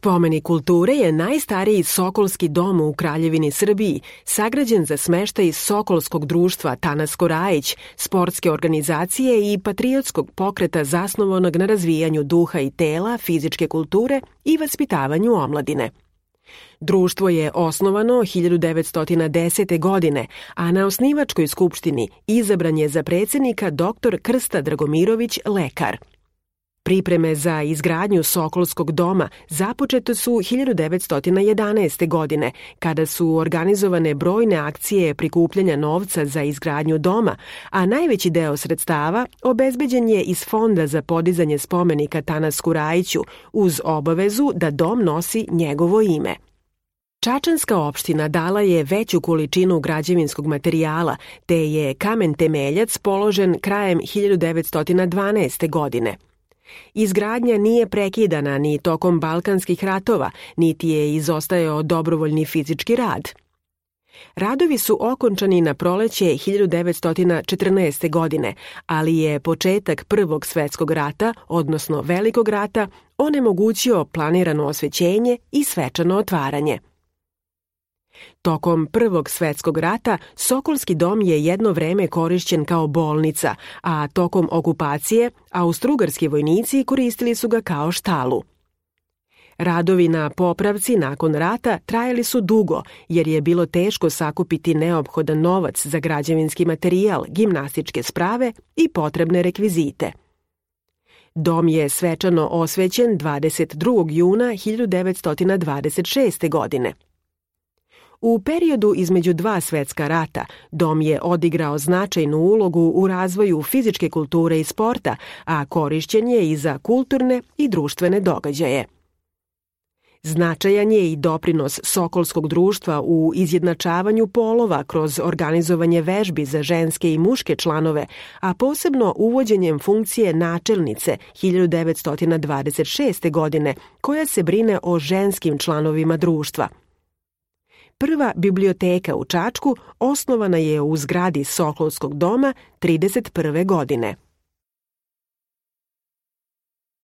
Spomenik kulture je najstariji sokolski dom u Kraljevini Srbiji, sagrađen za smeštaj Sokolskog društva Tanasko Rajić, sportske organizacije i patriotskog pokreta zasnovanog na razvijanju duha i tela, fizičke kulture i vaspitavanju omladine. Društvo je osnovano 1910. godine, a na osnivačkoj skupštini izabran je za predsjednika dr. Krsta Dragomirović, lekar. Pripreme za izgradnju Sokolskog doma započete su 1911. godine, kada su organizovane brojne akcije prikupljanja novca za izgradnju doma, a najveći deo sredstava obezbeđen je iz Fonda za podizanje spomenika Tanasku Rajiću, uz obavezu da dom nosi njegovo ime. Čačanska opština dala je veću količinu građevinskog materijala, te je kamen temeljac položen krajem 1912. godine. Izgradnja nije prekidana ni tokom Balkanskih ratova, niti je izostajao dobrovoljni fizički rad. Radovi su okončani na proleće 1914. godine, ali je početak Prvog svetskog rata, odnosno Velikog rata, onemogućio planirano osvećenje i svečano otvaranje. Tokom Prvog svetskog rata Sokolski dom je jedno vreme korišćen kao bolnica, a tokom okupacije austrougarski vojnici koristili su ga kao štalu. Radovi na popravci nakon rata trajali su dugo, jer je bilo teško sakupiti neophodan novac za građevinski materijal, gimnastičke sprave i potrebne rekvizite. Dom je svečano osvećen 22. juna 1926. godine. U periodu između dva svetska rata, dom je odigrao značajnu ulogu u razvoju fizičke kulture i sporta, a korišćen je i za kulturne i društvene događaje. Značajan je i doprinos Sokolskog društva u izjednačavanju polova kroz organizovanje vežbi za ženske i muške članove, a posebno uvođenjem funkcije načelnice 1926. godine, koja se brine o ženskim članovima društva. Prva biblioteka u Čačku osnovana je u zgradi Sokolskog doma 1931. godine.